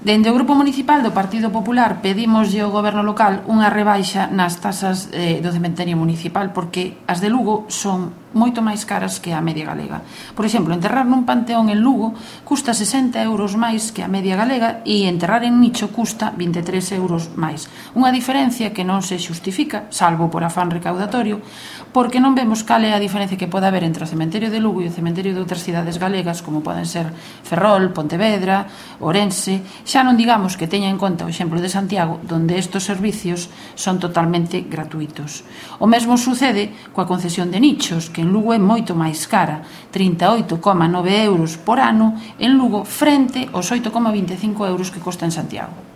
Dende o Grupo Municipal do Partido Popular pedimoslle ao Goberno local unha rebaixa nas tasas do cementerio municipal porque as de Lugo son moito máis caras que a media galega. Por exemplo, enterrar nun panteón en Lugo custa 60 euros máis que a media galega e enterrar en Nicho custa 23 euros máis. Unha diferencia que non se xustifica, salvo por afán recaudatorio, porque non vemos cal é a diferencia que pode haber entre o cementerio de Lugo e o cementerio de outras cidades galegas, como poden ser Ferrol, Pontevedra, Ourense. Xa non digamos que teña en conta o exemplo de Santiago, donde estes servicios son totalmente gratuitos. O mesmo sucede coa concesión de nichos, que en Lugo é moito máis cara, 38,9 euros por ano en Lugo frente aos 8,25 euros que costa en Santiago.